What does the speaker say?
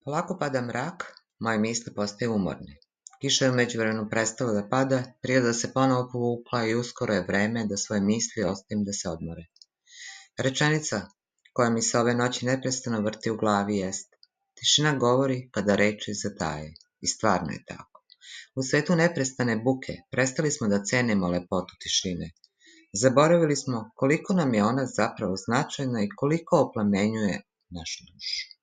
Polako pada mrak, moje misli postaju umorne. Kiša je u međuvremenu prestala da pada, priroda se ponovo povukla i uskoro je vreme da svoje misli ostavim da se odmore. Rečenica koja mi se ove noći neprestano vrti u glavi jest: tišina govori kada reči zataje. I stvarno je tako. U svetu neprestane buke prestali smo da cenimo lepotu tišine. Zaboravili smo koliko nam je ona zapravo značajna i koliko oplemenjuje našu dušu.